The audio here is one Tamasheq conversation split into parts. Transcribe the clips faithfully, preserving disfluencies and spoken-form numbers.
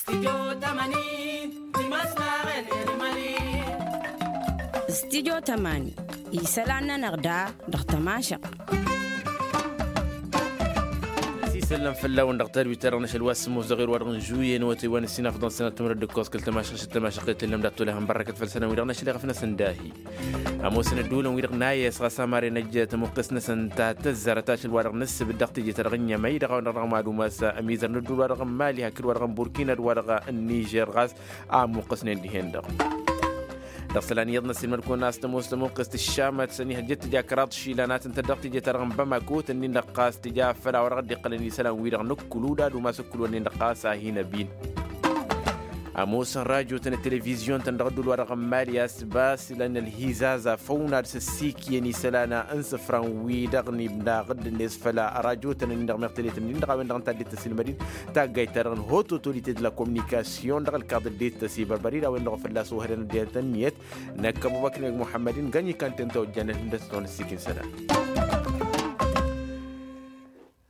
Stidyo tămani isălan-nănăɣ da dăɣ-tămašăɣt. Isălan fălla-wen dăɣ-tadwit-ta-dăɣ n-ašăl wa s-sǝmmos dăɣ-erwa dăɣ-n žuye n-awătay wa n-ǝssin afḍăn sănăt timǝrăd d-ǝkkoẓ kăl-tămašăɣt s-tămašăɣt i-tǝllăm d-ad-tolăhăn bărrăkăt făll-isălan-wi-dăɣ n-ašăl iɣăf-năsăn dahi. Ămoosăn ădduulăn-wi-dăɣ n-ayes ɣas amaren ăjj tămuqqest-năsăn ta tăzzarăt ašăl-wa-dăɣ n-ǝssǝbǝd dăɣ-teje-ta-dăɣ n-inyămăy dăɣ-a-wen-dăɣ dăɣ-mad-umas ămizăr n-ădduul-wa-dăɣ n-mali hakd-wa-dăɣ n-burkina d-wa-dăɣ n-nižer ɣas a ămmuqqăsnen dihen-dăɣ. Dăɣ-isălan iyyăḍ n-ăssiilmăd-kăwăn a-s tămoos tămuqqest ǝššamăt s-ănihăjjăt tǝja kăraḍ išilan a tǝntăd dăɣ-teje-ta-dăɣ n-bamako tǝnnin-dăɣ ɣas tǝja făll-a-wa dăɣ-dd-iqqălăn isălan-wi-dăɣ n-ǝkkǝlu d-ad-umas ǝkkǝlu-ǝnnin-dăɣ ɣas a hin-ăbin. Ămoosăn rajo-tăn d-televizyon-tăn dăɣ-ădduul-wa-dăɣ n-mali a-s basǝlăn ălhizaza făw n-ad-săssikǝyăn isălan n-isǝfran-wi-dăɣ n-ibnaɣ dd-net făll-rajo-tăn-nin-dăɣ meɣ telet-nin-dăɣ a-wen-dăɣ ǝnta a dd-tăsilmădin taggayt-ta-dăɣ n-haute autorité de la communication dăɣ-ălkaḍ dd-tăsibărbări d-a-wen-dăɣ fălla-s ohădăn ăddinăt ǝnniyăt. Năkk ăbubăkr n-egg muḥămmăd-in găny ikan tentăwăjjan ălhǝndăs-tăn ăssikin isălan.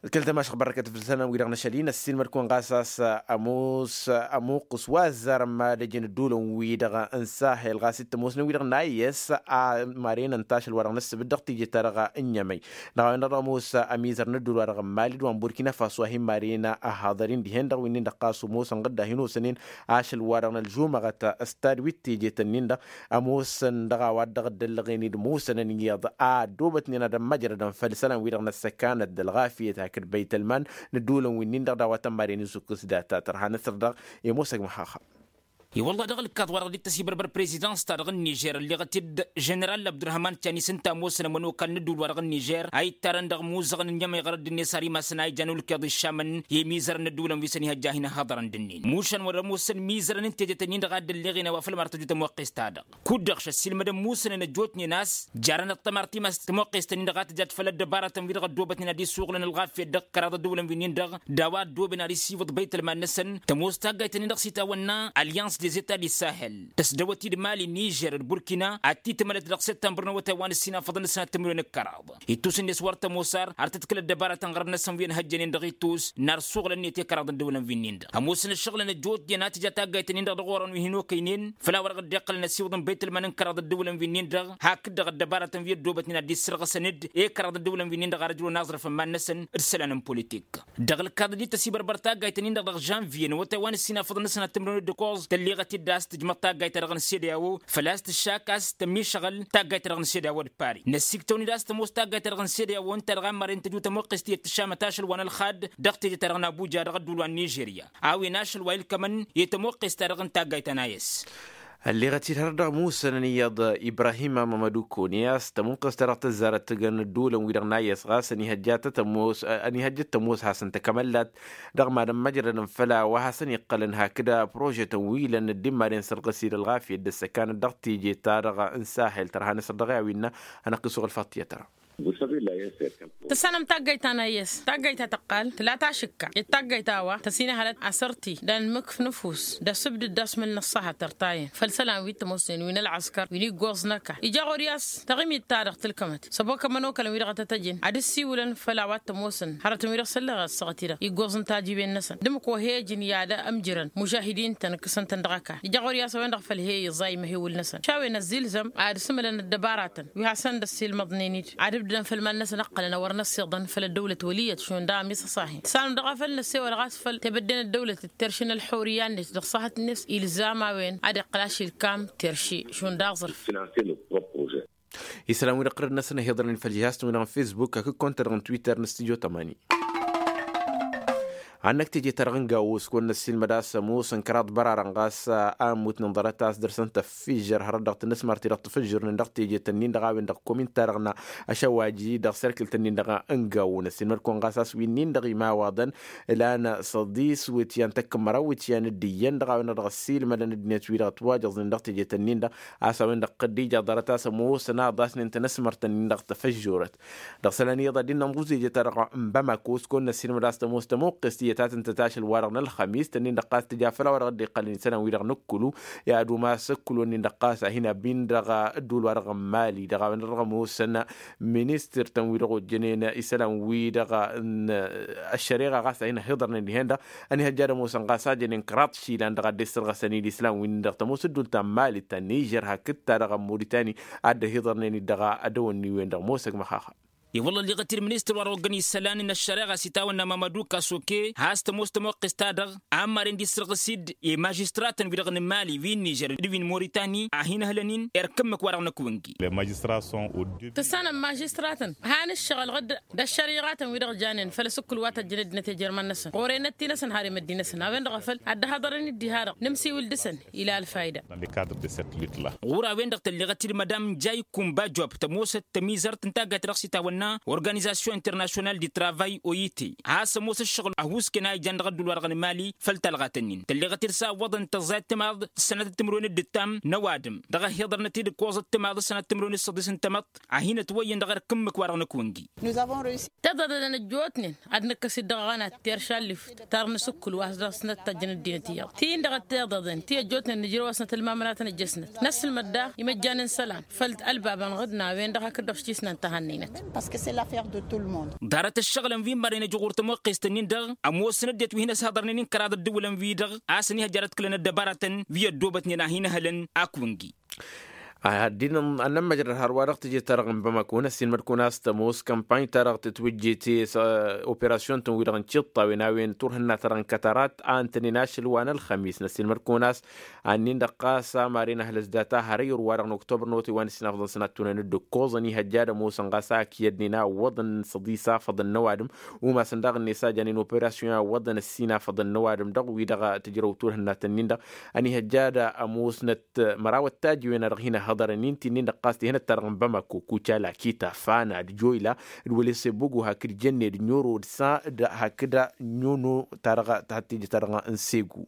Kăl-tămašăɣt bărrăkăt făll-isălan-wi-dăɣ n-ašăl-in ăssiilmăd-kăwăn ɣas a-s ămoos ămuqqǝs wa ăzzarăn mad-ăjăn ădduulăn-wi-dăɣ n-sahel ɣas d-tămoosnen-wi-dăɣ n-ayes a maren ǝnta ašăl-wa-dăɣ n-ǝssǝbǝd dăɣ-teje-ta-dăɣ n-inyămăy. Dăɣ-a-wen-dăɣ ămoos ămizăr n-ădduul-wa-dăɣ n-mali d-wa n-burkina faso a hin-maren ăhaḍăr-in dihen-dăɣ wi-nin-dăɣ ɣas ămoosăn ɣǝdda hin-osănen ašăl-wa-dăɣ n-ălžumăɣăt s-tadwit teje-tăn-nin-dăɣ. Ămoosăn dăɣ-a-wa dd-dăɣ-dd-ăllăɣen d-musănăn iyyăḍ a ăddoobătnen ad-ămmăjrădăn făll-isălan-wi-dăɣ n-ăssăkanăt d-ălɣafyăt hakd băytălman n-ădduulăn wi-nin-dăɣ d-a-wa tămmaren isukǝs data tărha năsăr dăɣ-i musăg măxaxa. I-wălla dăɣ-ălkaḍ wa dăɣ-dd-tăsibărbăr prezidans-ta-dăɣ n-nižer ălleɣăt-dd ženeral abdurăhman canis ǝnta ămoosăn ămănokal n-ădduul-wa-dăɣ n-nižer a ittarăn dăɣ-imuzăɣăn n-inyămăy ɣărăt d-net ar imassăn a ijan ulkeḍ iššamăn i-imizărăn n-ădduulăn wi s-ănihăjja a hin-ăhhăḍărăn d-ǝnnin mušan wăr-ămoosăn imizărăn n-teje-tăn-in-dăɣ a dd-ălleɣen a-wa făl măr tăju tămoqqest-ta-dăɣ. Kud-dăɣ šăssilmădăn musănăn ăjjootnen a-s jarăn ăṭṭămar timas tămoqqest-tăn-in-dăɣ a tǝjat făll-ăddăbarătăn wi dăɣ-ăddoobătnen ad-isuɣǝlăn ălɣafyăt dăɣ-kăraḍ ădduulăn wi-nin-dăɣ d-a-wa ăddooben ad-issibǝḍ băytălman-năsăn. Tămoos taggayt-tăn-in-dăɣ s-itawănna allians des etat di sahel tăsdăwăt-dd mali nižer d-burkina ad-t-tǝmălăt dăɣ-săttămbăr n-awătay wa n-ǝssin afăḍăn d-sănat timǝrwen d-kăraḍ. Ittus-net wăr tămoos ar har tăt-kǝl ăddăbarătăn ɣărăt-năsăn wi ănhăjjănen dăɣ-ittus n-ar suɣǝlăn-net i-kăraḍ n-ăddăwlăn wi-nin-dăɣ ămoosăn ǝššăɣǝlăn ăjjootnen a tǝja taggayt-nin-dăɣ dăɣ-orăn wi hin-okăynen făll-a-wa dăɣ-dd-iqqălăn ăsiwǝḍăn băytălman n-kăraḍ ăddăwlăn wi-nin-dăɣ hakd-dăɣ ăddăbarătăn wi ăddoobătnen ad-dd-issărɣǝsăn-dd i-kăraḍ ăddăwlăn wi-nin-dăɣ ar ǝjrǝwăn aẓrǝf n-iman-năsăn d-isălan n-politik. Dăɣ-ălkaḍ dd-tăsibărbăr taggayt-nin-dăɣ dăɣ-žănvye n-awătay wa n-ǝssin afăḍăn n-sănat timǝrwen d-ǝkkoẓ tălleɣăt-dd a-s tǝjmăḍ taggayt-ta-dăɣ n-sedeao făl-a-s tǝššak a-s tămmišăɣăl taggayt-ta-dăɣ n-sedeao d-pari năssiktăwăn-dd a-s tămoos taggayt-ta-dăɣ n-sedeao ǝnta-dăɣ a mărăn tăju tămuqqest i-ăttăššamăt ašăl wa n-ălxad dăɣ-teje-ta-dăɣ n-abuja dăɣ-ădduul wa n-nižerya a-wen ašăl wa ilkămăn i-tămuqqest-ta-dăɣ n-taggayt ta n-ayǝs. Ălleɣăt-dd hărăt dăɣ-musănăn iyyăḍ ibrahim amămădu kone a-s tămuqqest-ta-dăɣ tăzzarăt tǝgăn ădduulăn-wi-dăɣ n-ayǝs ɣas ănihăjjăt tămoos hasăn-t akămăllat dăɣ-mad-ămmăjrădăn făll-a-wa hasăn-iqqălăn hakd prožetăn wi ilăn dd-immadăn sărɣǝs-dd ălɣafyăt d-ăssăkanăt dăɣ-teje-ta-dăɣ n-sahel tărha n-asăr dăɣ-i a-wi innă. Anăqqisuɣ ălfaḍt tiyyăt ăra. Tǝssanăm taggayt ta n-ayǝs taggayt ta tăqqal tǝla tašǝkka i-taggayt a-wa tăsinăhălăt asărti d-anmǝkf n-ăfuss d-asǝbdǝd d-asmǝl n-ăṣṣaha tărtayăn făll-isălan wi t-ămoosnen wi n-ălɣăskăr wi n-iggoẓ n-ăkall ija ɣur-i a-s taɣimit-ta-dăɣ tǝlkămăt s-ăbokămăn okălăn wi-dăɣ a tăt-ăjǝn ad-ǝssiwǝlăn făll-a-wa t-ămoosăn hărătăn wi-dăɣ s-ălleɣ ăssaɣăt-i-dăɣ iggoẓ n-tajiben-năsăn d-ǝmmǝk wa he-ăjǝn i-ad-ămjǝrăn mužahidin-tăn ǝkkǝsăn-tăn dăɣ-ăkall ija ɣur-i a-s a-wen-dăɣ făll-he-iẓay măhewǝl-năsăn šawen ăzzilzăm ad-ǝsmǝlăn ăddăbaratăn wi hasăn-dd-ăssiilmăḍnen-dd ad-ǝbdǝdăn făll-iman-năsăn ǝqqălăn a wăr năssiḍăn făll-ăddăwlăt wăl' iyyăt šund daɣ ămmiṣăṣahen tǝssanăm dăɣ-a făl năssewăl ɣas făll-tebădde n-ăddăwlăt d-terši n-ălxurǝya-net dăɣ-săhăt-net ilzam a-wen ad-iqqǝl ašilkam terši šund aẓrǝf. Isălan-wi-dăɣ ɣărăd-năsăn ăhiḍărăn făll-jihaz-tăn-wi-dăɣ n-fesbuk hakd kont-ta-dăɣ n-twitter n-studio tămani. Hannăk teje-ta-dăɣ n-gawo s-kăwăn-năssiilmăd a-s ămoosăn kăraḍ bărarăn ɣas a ămmutnen ḍarăt a-s dăr-săn tăffijjăr hărăt dăɣ-tǝnnăsmar-ti-dăɣ tǝfǝjjărnen dăɣ-teje-tăn-in-dăɣ a-wen-dăɣ komin-ta-dăɣ n-ašăwaji dăɣ-serkǝl-tăn-in-dăɣ n-gawo năssiilmăd-kăwăn ɣas a-s wi-nin-dăɣ imawaḍăn ǝlan săḍis wǝtyan tăkk-măraw wǝtyan d-iyyăn dăɣ-a-wen-dăɣ dăɣ-ăssiilmădăn ăddinăt-wi-dăɣ ătwajăẓnen dăɣ-teje-tăn-in-dăɣ a-s a-wen-dăɣ dd-ija ḍarăt a-s ămoosăn aḍasnen tanăsmărt-tăn-in-dăɣ tăfăžžorăt. Dăɣ-isălan iyyăḍ ad-dd-innă ănḍǝẓ teje-ta-dăɣ n-bamako s-kăwăn-năssiilmăd a-s tămoos tămuqqest. Iyyăt a tǝntăt ašăl-wa-dăɣ n-ălxămis tănnin-dăɣ ɣas tǝja făll-a-wa-dăɣ dd-iqqălăn isălan-wi-dăɣ n-ǝkkǝlu i-ad-umas ǝkkǝlu-nin-dăɣ ɣas a hin-abin dăɣ-ăddul-wa-dăɣ n-mali dăɣ-a-wen-dăɣ ămoosăn ministăr-tăn wi-dăɣ ojjănen isălan-wi-dăɣ n-ăššăreɣa ɣas a hin-ăhiḍărnen dihen-dăɣ. Ănihăjja ad-ămoosăn ɣas a jănen kăraḍ išilan dăɣ-a dd-issărɣăsăn-dd isălan-win-dăɣ tămoos ăddul ta n-mali ta n-nižer hakd ta dăɣ-ămmuritani a dd-ăhiḍărnen-dd dăɣ-a dăwănni-wen-dăɣ ămoosăg măxaxa. I-wălla ălliɣăt-dd ministăr wa dăɣ-oggăn isălan n-ăššăreɣa s-itawănna mamădu kasoke has-tămoos tămoqqes-ta-dăɣ a ămmaren d-issărɣǝs-dd i-mažistratăn-wi-dăɣ n-mali wi n-nižer d-wi n-moritani a hin-ăhlăn-in erk ǝmmǝk wa dăɣ-năkk wǝngi. Tǝssanăm mažistratăn han ǝššăɣǝl ɣǝdd d-ăššăriɣatăn-wi-dăɣ janen făll-asǝkkǝl wa tăjjăn ăddinăt ejăr iman-năsăn ɣur-enăt-i-năsăn har i-măddinăsăn a-wen-dăɣ a făl ad-dd-haḍărăn-dd diha-dăɣ nǝmsiwǝl dăɣ-săn ila ălfayda. Ɣur-a-wen-dăɣ tălleɣăt-dd madam jay kumba job tămoosăt tămizărt n-taggayt-ta-dăɣ s-itawănna organizasyon internasyonal di travay oyite a-s ămoos ǝššăɣǝl ăhuusken a ijan dăɣ-ăddul wa-dăɣ n-mali făll-talɣat-ǝnnin tălleɣăt-dd s-a ǝwwăḍăn tăẓẓayăt timaḍ s-sănătăt timǝrwen d-ǝttam n-ăwadǝm dăɣ-ăhiḍărnăt-dd ǝkkoẓăt timaḍ s-sănătăt timǝrwen d-săḍis n-tamăḍt a hin-ătwăyyăn dăɣ-erk ǝmmǝk wa-dăɣ năkk wǝngi. Tiḍăḍen ăjjootnen ad-nǝkkăs-dd dăɣ-aɣănat teršallif ta dăɣ-nǝsǝkkǝl wa s-dăɣ-snăt tăjjăn ăddinăt iyyăḍ ti-in-dăɣ ăttiḍăḍen ti ăjjootnen nǝjrăw a-snăt ălmamănatăn ăjjăsnăt năssǝlmăd daɣ imăjjan n-isălan făll-ălbabăn ɣǝdna a-wen-dăɣ hakd-dăɣ s-tisnant ta hannăynăt. Ḍarăt ǝššăɣǝlăn wi n-marăynăj ɣur-tămoqqest-ǝnnin-dăɣ ămoosăn ăddinăt wi hin-ăshăḍărnen n-kăraḍ ăddǝwǝlăn-wi-dăɣ a-s ăniihăjja ad-ăḍkǝlăn ăddăbaratăn wi ăddoobătnen a hin-ăhălăn ak wǝngi. Ad-dd-inănnămmăjrăd hărwa-dăɣ tǝjǝt-ta-dăɣ n-bamako năssiilmăd-kăwăn a-s tămoos kămpany-ta-dăɣ tǝtwǝjjet s-operasyon-tăn-wi-dăɣ n-tiṭṭawen a-wen turhǝnna-ta-dăɣ n-kătărat a ǝntănen ašăl wa n-ălxămis năssiilmăd-kăwăn a-s annin-dăɣ ɣas amaren ăhlăs data har ayǝr-wa-dăɣ n-oktobăr n-otay wa n-ǝssin afḍăn sănat tunăn-dd ǝkkoẓăn ihăjja ad-ămoosăn ɣas a ǝkǝyădnen a ǝwwăḍăn săḍis afăḍăn n-ăwadǝm umasăn daɣ-net a janen operasyon a ǝwwăḍăn ǝssin afăḍăn n-ăwadǝm dăɣ-wi-dăɣ tǝjrăw turhǝnna-tăn-nin-dăɣ. Ăniihăjja ad-ămoosnăt măraw ăttajǝwen a dăɣ-hin-ăhhăḍărăn-in ti-nin-dăɣ ɣas tihănăt-ta-dăɣ n-bamako kucala kita fana d-joyla d-wălese bogo hakd jănne d-nyoro d-sa d-hakd nyono ta dăɣ-tahat tijǝt-ta-dăɣ n-segu.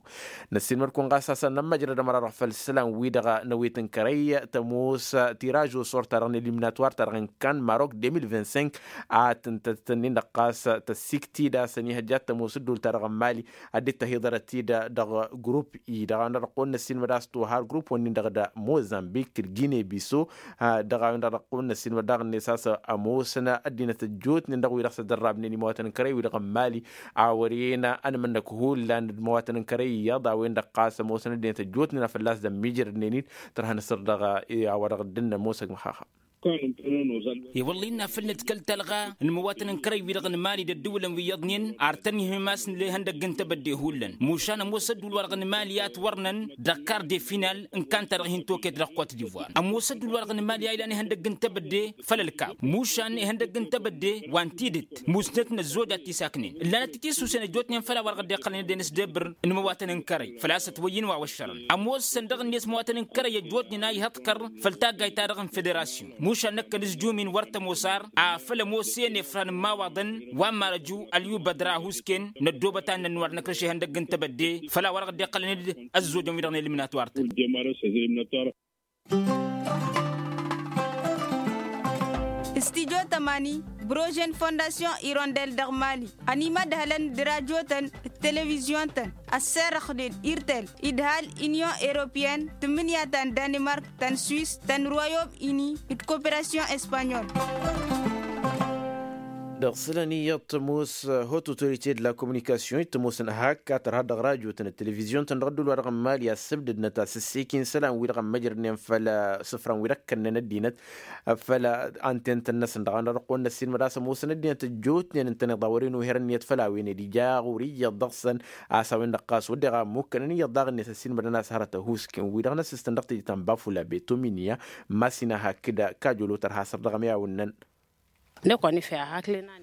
Năssiilmăd-kăwăn ɣas a-s ănnămmăjrăd ămăra-dăɣ făll-isălan-wi-dăɣ n-awet n-kărăy tămoos tiraž osor-ta-dăɣ n-eliminatwar-ta-dăɣ n-kan marok deux mille vingt-cinq a tǝntăt-nin-dăɣ ɣas tăssiktid a-s ăniihăjja ad-tămoos ǝddul-ta-dăɣ n-mali ad-dd-tăhiḍărăt-dd dăɣ-grup-i dăɣ-a-wen-dăɣ dăɣ-kăwăn-năssiilmăd a-s tohar grup-wăn-in-dăɣ d-mozambik d-gine biso. Dăɣ-a-wen-dăɣ dăɣ-kăwăn-năssiilmăd daɣ-net a-s ămoosăn ăddinăt ăjjootnen dăɣ-wi-dăɣ s-ăddărrabnen imăwatăn n-kărăy-wi-dăɣ n-mali a wăren ănmănnăk hullan d-imăwatăn n-kărăy iyyăḍ a-wen-dăɣ ɣas ămoosăn ăddinăt ăjjootnen a fălla-s dămmijrădnen-dd tărha n-asăr dăɣ-a-wa dăɣ-dd-ǝnnăn mosăg măxaxa. I-wălla innă a făl nǝdkăl talɣa n-imăwatăn n-kărăy-wi-dăɣ n-mali d-ăddǝwǝlăn wi iyyăḍnen ar tăn-ihǝmas n-lehăndăgg n-tebădde hullan mušan ămoos ăddǝwǝl-wa-dăɣ n-mali a ătwărnăn dăɣ-kar de final n-kanta-dăɣ hin-toket dăɣ-kot divoir ămoos ăddǝwǝl-wa-dăɣ n-mali a ilan ihăndăgg n-tebădde făll-ălkab mušan ihăndăgg n-tebădde wa n-tidǝt musnăt n-ăzzoj ad-t-isaknen ǝllanăt-t-isusen ăjjootnen făll-a-wa dăɣ-dd-iqqălăn ed-en s-debbǝr n-imăwatăn n-kărăy făl-a-s ătwăyyǝn wa wăššărăn ămoosăn dăɣ-net imăwatăn n-kărăy ăjjootnen a ihăḍkăr făll-taggayt-ta-dăɣ n-federasyon mušan năkkăn s-jumin wăr tămoos ar afăl ămoos i-ănefran n-imawaḍăn wa n-marăju ălyubădra a husken năddoobăt ad-nănnu ad-năkrăš ihăndăgg n-tebădde făll-a-wa dăɣ-dd-iqqălăn d-ăzzojăn wi-dăɣ n-eliminatwar-tăn. Studio tămani brožen fondasyon irondel dăɣ-mali ănimădhălăn d-rajotăn d-televizyon-tăn ăsserăxnen irtel idhal inyon eropyen tǝmmǝnǝya ta n-danimark ta n-swis ta n-royom ini d-koperasyon espanyol. Dăɣ-isălan iyyăḍ tămoos hot autorite de la communication i-tămoosăn hak a tărha dăɣ-rajotăn d-televizyon-tăn dăɣ-ăddul wa dăɣ-n mali a ǝssǝbdădnăt a sǝssekin isălan-wi-dăɣ ămmăjrădnen făll-isǝfran-wi-dăɣ kănnăn ăddinăt făll-anten tăn-năsăn dăɣ-a-wen-dăɣ dăɣ-kăwăn-năssiilmăd a-s ămoosăn ăddinăt ăjjootnen ǝntăneḍ a wăren uher ǝnniyăt făll-a-wen ed ija ɣur-iyyăḍ dăɣ-săn a-s a-wen-dăɣ ɣas wădden a ămmukkănăn iyyăḍ daɣ-net ăssiilmădăn a-s hărăt ăhuusken wi-dăɣ n-ăssistăn dăɣ-teje ta n-bafula beto minya masina hakd kajolo tărha săr dăɣ-ămiyawǝnnăn.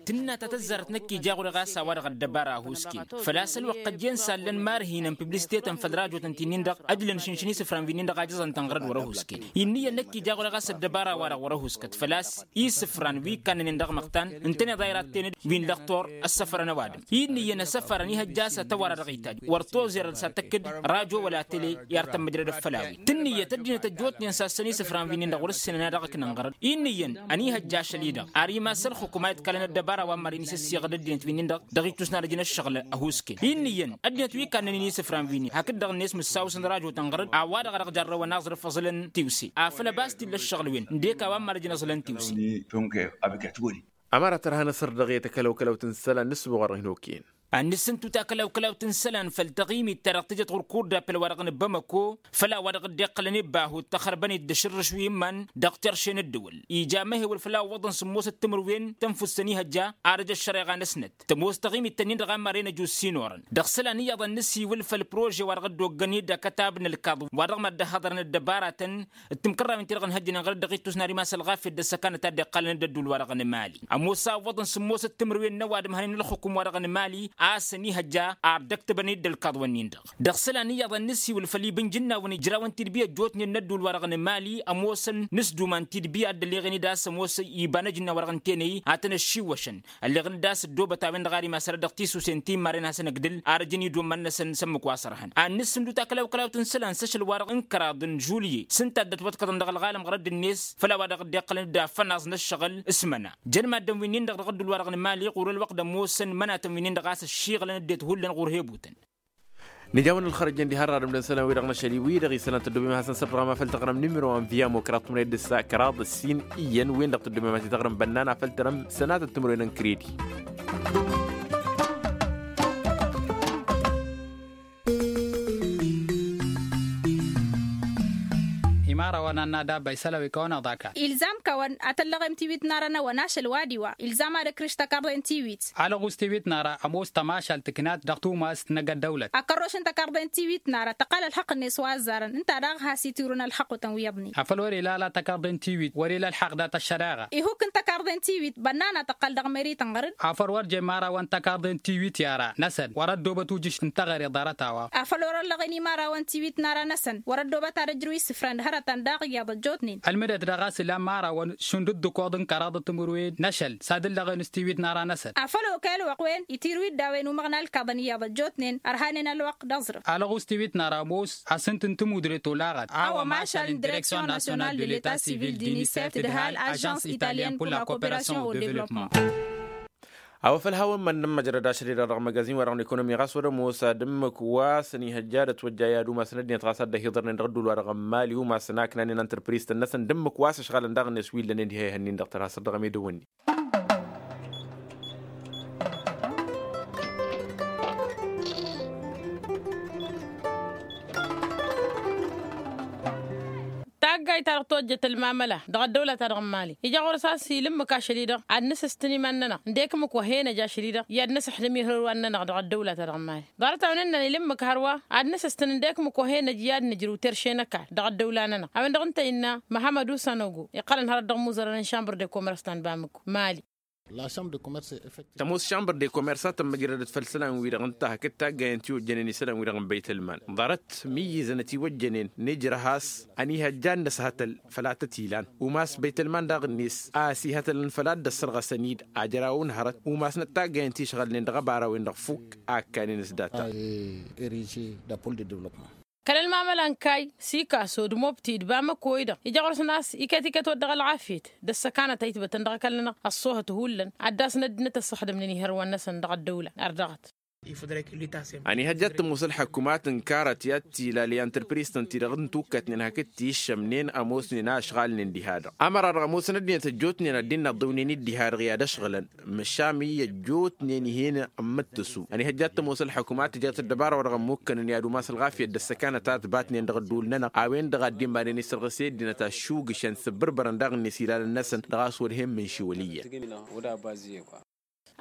Tǝnna ta tăzzarăt năkk ija ɣur-e ɣas a-wa-dăɣ ăddăbara ăhuusken făl-a-s ălwăqq ăjjeen sallăn marhinăn piblistetăn făll-rajotăn ti-nin-dăɣ ăjlăn šǝnšǝn isǝfran wi-nin-dăɣ a jăẓăn-tăn ɣărăt wăr-ăhuusken. Innă iyyăn năkk ija ɣur-e ɣas ăddăbara-wa-dăɣ wăr-ăhuuskăt făl-a-s isǝfran wi kannănen dăɣ-măɣtan ǝntăneḍ a iratten-dd wi n-lăxtor ăssăfărăn ăwadǝm. Innă iyyăn asăfărăn ihăjja a-s atăwara dăɣ-itajj wăr tozerăd s-ad-tăkk-dd rajo wăla tele i-ar tămmăjrădăd făll-a-wen tǝnnǝyăt ăddinăt ăjjootnen sassăn isǝfran wi-nin-dăɣ wăr-ǝssinăn ad-dăɣ-ǝknăn ɣărăd innă iyyăn ănihăjja ašăl-i-dăɣ ar Massa ălxukum a iḍkalăn ăddăbara wa n-mad-inǝs ăssiɣăd ăddinăt wi-nin-dăɣ dăɣ-ittus n-ad-ăjǝn ăššăɣǝl ăhuusken-i n-iyyăn ăddinăt wi kannăn-in isǝfran wi-nin hakd-dăɣ-net mǝssaw s-ănrajotăn ɣăr-dd a-wa-dăɣ a dăɣ-jarrăwăn aẓrǝf aẓǝlăn tiwse afăl ăbas t-illa ăššăɣǝl-wen ǝndek a-wa n-mad-ăjǝn aẓǝlăn tiwse. Ămăra tărha n-asărdăɣ i-takălăwkălăwt n-isălan n-ǝssǝboɣ-dăɣ hin-okăyăn. Ad-nǝssǝntu takălăwkălăwt n-isălan făll-taɣimit ta dăɣ-tǝjăt ɣur-kurda păl-wa-dăɣ n-bamăko făll-a-wa dăɣ-dd-iqqălăn ibba ahut tăxărbănet d-ašǝrrǝš wi n-iman dăɣ-terše n-ǝddǝwǝl. Ija amăhewăl făll-a ǝwwăḍăn sǝmmosăt timǝrwen tănfust n-ihăjja ad-ăj ăššăreɣa-năsnăt tămoos taɣimit-tăn-in-dăɣ a n-maren ăjus s-inorăn. Dăɣ-isălan iyyăḍ ad-nǝssiwǝl făll-prože wa dăɣ-dd-oggăn-dd akătab n-ălkaḍ wa dăɣ-mad-dd-ăhhăḍărăn ăddăbaratăn d-timkărrawen-ti-dăɣ ǝnhăjjănen ɣăr-dd dăɣ-ittus n-ad-imas ălɣafyăt d-ăssăkanăt a dd-iqqalăn d-ădduul-wa-dăɣ n-emali. Ămoos a ǝwwăḍăn sǝmmosăt timǝrwen n-ăwadǝm hănen ălxukum-wa-dăɣ n-emali a-s ănihăjja ar dd-ăktăbăn-dd ălkaḍ-wǝnnin-dăɣ. Dăɣ-isălan iyyăḍ ad-nǝssiwǝl făll-iba n-ijǝnnawăn ijrawăn tidbi ăjjootnen n-ădduul-wa-dăɣ n-emali ămoosăn n-asdum a n-tidbi a dd-ălleɣen-dd a-s ămoos iba n-ajǝnna wa-dăɣ n-tenăy a tăn-ăššiwwăšăn ălleɣăn-dd a-s ăddoobăt a-wen-dăɣ ar imasăr dăɣ-tisusen ti n-maren hasăn-ǝgdǝl ar ǝjǝn idumman-năsăn s-ămmǝk wa s-ărhăn. Ad-nǝssǝndu takălawkălawt n-isălan s-ašăl-wa-dăɣ n-kăraḍ n-žulye s-ǝnta a dd-ătwăḍkăḍăn dăɣ-ălɣalăm ɣărădd-net făll-a-wa dăɣ-dd-iqqălăn-dd afănaẓ n-ăššăɣǝl s-imăna. Jăn maddǝn wi-nin-dăɣ dăɣ-ădduul-wa-dăɣ n-emali ɣur-ălwăqq d-ămoosăn imănatăn wi-nin-dăɣ a-s ăššiɣǝlăn ăddinăt hullan ɣur-hebutăn. Nǝja a-wen ălxărăjăn diha ărradǝm d-isălan-wi-dăɣ n-ašăl-i-wi-dăɣ isălan tăddobem ad-hasăn-sărdăɣăm afăl taɣrǝm nimiro wa n-viya mokrat tumăned d-ǝssa kăraḍ ǝssin iyyăn-wen-dăɣ tăddobem ad-t-taɣrǝm bănnan afăl tărăm sănatăt timǝrwen n-kredi. Imărawăn ad-nadabba isălan wi kăwăn-aḍa kall. Ilzam kăwăn ad-tăllăɣem tiwit n-ara n-awăn ašăl wa d-iwa ilzam ad-ǝkrǝš takarḍe n-tiwit. Alăɣus tiwit n-ara ămoos tămašalt tǝknat dăɣ-tumast n-ăgg-ăddăwlăt. Akărroš n-takarḍe n-tiwit n-ara tăqqal ălxăqq-net wa ăzzarăn ǝnta daɣ has-itirǝwăn ălxăqq-utăn wi iyyăḍnen. Afăl wăr-ila ala takarḍe n-tiwit wăr-ila ălxaqq dat-ăššăreɣa. Ihuk n-takarḍe n-tiwit bănnan ad-tăqqal dăɣ-meri tănɣăr-dd. Afăl wăr jemmărawăn takarḍe n-tiwit i-ara-năsăn wăr-ăddoobăt ujǝš n-teɣăre ḍarăt-a-wa. Afăl wăr-ăllăɣen imărawăn tiwit n-ara-năsăn wăr-ăddoobăt ad-ăjrǝw isǝfran d-hărătăn daɣ iyyăḍ ăjjootnen. Ălmǝdăt daɣ a-s ilan imărawăn šund ǝddǝkoḍ n-kăraḍăt timǝrwen n-ašăl s-ad-ǝllăɣen s-tiwit n-ara-năsăn. Afăl okăy ălwăqq-wen itirǝw-dd a-wen umăɣna ălkaḍăn iyyăḍ ăjjootnen ărhanen ălwăqq d-aẓrǝf. Alăɣus tiwit n-ara ămoos asǝnt n-timudre tolaɣăt a-wa mašal n-direksyon nasyonal de leta sivil d-inisef d-hal ažans italyen pur la koperasyon o devlopman. A-wa făl hawăn-mănnăm măjrăd ašăl-i-dăɣ dăɣ-măgazin-wa-dăɣ n-ekonomi ɣas wăr-ămoos ad-ǝmmǝk wa s-ănihăjja ad-ătwăjja i-ad-umasăn ăddinăt ɣas ad-dd-ăhiḍărnen dăɣ-ădduul-wa-dăɣ n-mali umasăn a ǝknanen antărpriztăn-năsăn d-ǝmmǝk wa s-ǝšɣalăn daɣ-net wi ǝllănen diha ihănnin-dăɣ tărha săr dăɣ-emedăwăn-ni. Taggayt-ta-dăɣ tojjăt ălmamăla dăɣ-ăddăwla-ta-dăɣ n-mali ija ɣur-s a-s ila ǝmmǝk ašăl-i-dăɣ ad-nǝsǝstǝn iman-nănăɣ ǝndek ǝmmǝk wa hen-ăj ašăl-i-dăɣ i-ad-năsǝxdǝm ihărwan-nănăɣ dăɣ-ăddăwla-ta-dăɣ n-mali. Ḍarăt-a-wen ǝnnăn ila ǝmmǝk hărwa ad-nǝsǝstǝn ǝndek ǝmmǝk wa hen-ăj i-ad-nǝjrǝw terše n-ăkall dăɣ-ăddăwla-nănăɣ a-wen-dăɣ ǝnta innă măhămăd usanogo iqqălăn hărăt dăɣ-imuzărăn n-šambăr de komers ta n-bamăko. Mali. Tămoos šambăr de komers a tămmăjrădăt făll-isălan-wi-dăɣ ǝnta hakd taggayen ti ojjănen isălan-wi-dăɣ n-băytălman ḍarăt mǝyyǝzăn ătiwăjjănen nejrăh a-s ănihăjja ad-năshătăl făll-ad-tăt-ilan umas băytălman daɣ-net a ăsihătălăn făll-ad-dd-ăssărɣăsăn-dd ajraw n-hărăt umasnăt taggayen ti ǝšɣălnen dăɣ-abara-wen-dăɣ fukk a ǝkkanen s-data. Kăl-ălmamăla n-kayy sikaso d-mobti d-bamăko-i-dăɣ ija ɣur-săn a-s iket-iket wăr dăɣ-ălɣafyăt d-ăssăkanăt a itbătăn dăɣ-ăkall-nănăɣ ăṣṣoohăt hullan ad-dd-asnăddinăt ăssăxdămnen ihărwan-năsăn dăɣ-ăddăwla. Ardăɣăt. Ănihăjja ad-tămoos ălḥăkumat n-karăt i-ad-tilal i-antărpriztăn-ti-dăɣ n-tukkătnen hakd ti ǝššămnen ămoosnen a ǝšɣalnen diha-dăɣ ămăra-dăɣ ămoosăn ăddinăt ăjjootnen ad-dd-innă ăḍḍăwnen-dd diha-dăɣ i-ad-ăšɣǝlăn. Măšan i-ăjjootnen ih'-en n-imǝttǝsu ănihăjja ad-tămoos ălḥăkumat tǝjăt ăddăbara wa dăɣ-ămmukkănăn i-ad-umas ălɣafyăt d-ăssăkanăt a ǝtbatnen dăɣ-ădduul-nănăɣ a-wen-dăɣ a dd-imanen isărɣǝse ăddinăt aššugǝšăn s-ǝbbărbărăn daɣ-net ilalăn-năsăn dăɣ-a-s wăr hen-imǝnšiwăl iyyăn.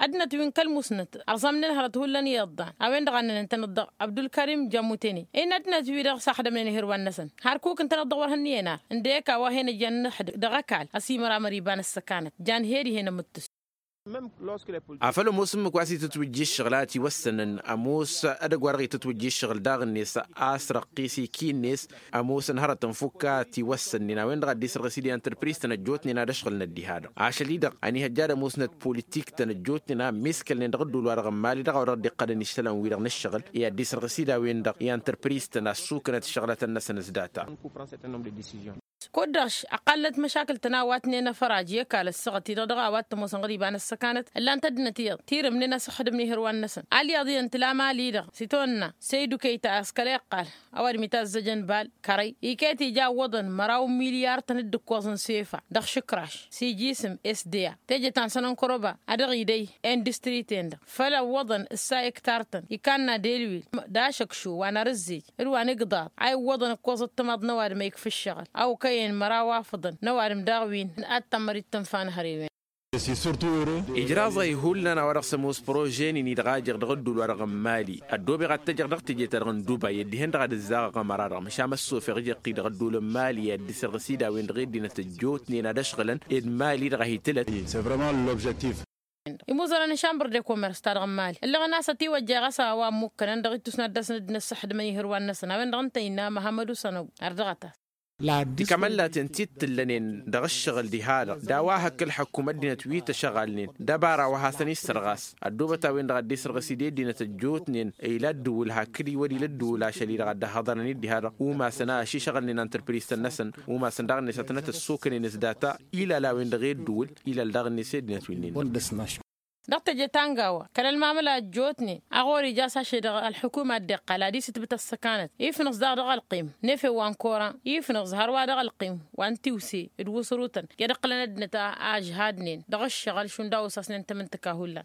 Ăddinăt wi n-kăl-musnăt ărẓamnen hărăt hullan iyyăḍ dan a-wen-dăɣ a ǝnnăn ǝntăneḍ dăɣ-abdulkărim jamutene. Innă ăddinăt-wi-dăɣ s-axdămnen ihărwan-năsăn hărkuk ǝntăneḍ-dăɣ wăr hănniyăn ar ǝndek a-wa hen-ăjjan n-ăhd dăɣ-ăkall ăsimăramăr iba n-ăssăkanăt jan he-dihen ămǝttǝs. Afăl ămoos ǝmmǝk wa s-itǝtwǝjja ǝššăɣǝl a ătiwăssănăn ămoos edăgg-wa-dăɣ itǝtwǝjja ǝššăɣǝl daɣ-net a-s răqqis iki-net. Ămoosăn hărătăn fukk a ătiwăssănnen a-wen-dăɣ a dd-isărɣǝs-dd i-antărpriz-tăn ăjjootnen ad-ăšɣǝlnăt diha-dăɣ ašăl-i-dăɣ ănihăjja ad-ămoosnăt politik-tăn ăjjootnen a ămmiskălnen dăɣ-ădduul-wa-dăɣ n-mali dăɣ-a-wa dăɣ-dd-iqqălăn iššălan-wi-dăɣ n-ǝššăɣǝl i-ad-dd-isărɣǝs-dd a-wen-dăɣ i-antărpriz-tăn a ăssuknăt ǝššăɣlătăn-năsăn s-data. Kud-dăɣ š-ăqqalnăt măšakǝl-tăn a-wa tǝnnănăfăraj i-ăkall ăssaɣăt-i-dăɣ dăɣ-a-wa t-ămoosăn ɣăr iba n-ăssăkanăt ǝllan-t ăddinăt iyyăḍ tirǝmnen asǝxxǝdǝm n-ihǝrwan-năsăn. Alyaḍ iyyăn tǝla mali-dăɣ s-itwănna săydukăy ta a-s kăla iqqal ăwadǝm itazzăjăn bal kărăy iket ija ǝwwăḍăn măraw n-milyar-tăn d-ǝkkoẓ n-sefa dăɣ-išǝkraš s-iji isǝm s d a teje ta n-sănănkăroba a dăɣ-idăy industri-ten-dăɣ făll-ăwwăḍăn ǝssa ektar-tăn ikanna delwil d-ašăkšu wa n-arǝzzej d-wa n-igḍaḍ a iwwăḍăn ǝkkoẓ ăṭṭămaḍ n-ăwadǝm a ikfa ǝššăɣǝl a okăyăn măraw afǝḍăn n-ăwadǝm daɣ wi n-ad-tămmărit tǝnfa n-hărewen. Ijraẓ-i hullan a-wa dăɣ-s ămoos prože-nin-i-dăɣ a jeɣ dăɣ-ădduul-wa-dăɣ n-mali ăddoobeɣ ad-t-ejăɣ dăɣ-teje-ta-dăɣ n-duba i-ăddihăn dăɣ-ad-ǝzzaɣăɣ ămăra-dăɣ măšan măssofeɣ ijăqqi dăɣ-ădduul n-mali i-ad-dd-isărɣǝs-dd a-wen-dăɣ i-ăddinăt ăjjootnen ad-ăšɣǝlăn ed mali-dăɣ a hi-tǝlăt. Imuẓălăn n-šambăr de komers-ta-dăɣ n-mali ǝllăɣăn a-s ătiwăjja ɣas a-wa ămmukkănăn dăɣ-ittus n-ad-dăr-săn dd-năssăxdǝmăn ihǝrwan-năsăn a-wen-dăɣ ǝnta innă măhămmăd usănăw. Ar dăɣ-ătas. Tikămăllaten ti t-ǝllănen dăɣ-ǝššăɣǝl diha-dăɣ d-a-wa hăkk ǝlḥăkkum ăddinăt wi t-ăšăɣalnen d-ăbara wa hasăn-issărɣas ăddoobăt a-wen-dăɣ a dd-isărɣǝs-dd i-ăddinăt ăjjootnen ila ăddǝwǝl hakd iwădil ăddǝwǝl ašăl-i-dăɣ a dd-ăhhăḍărăn-dd diha-dăɣ umasăn a ăššăɣǝlnen antrăpriztăn-năsăn umasăn daɣ-net ad-tănăt-ăssokănen s-data ilal a-wen-dăɣ i-ăddǝwǝl ilal daɣ-net i-ăddinăt-wi-nin. Dăɣ-teje ta n-gawa kăl-ălmamăla ăjjootnen a ɣur-ija s-ašăl-i-dăɣ ălḥukuma dd-iqqal ad-isǝtbǝt ăssăkanăt ifnǝẓ daɣ dăɣ-ălqim n-efew wa n-koran ifnǝẓ hărwa dăɣ-ălqim wa n-tiwse d-wǝsrutăn i-ad-ǝqqǝlăn ăddinăt a ăžhadnen dăɣ-ǝššăɣǝl šund a osasnen tamǝntǝka hullan.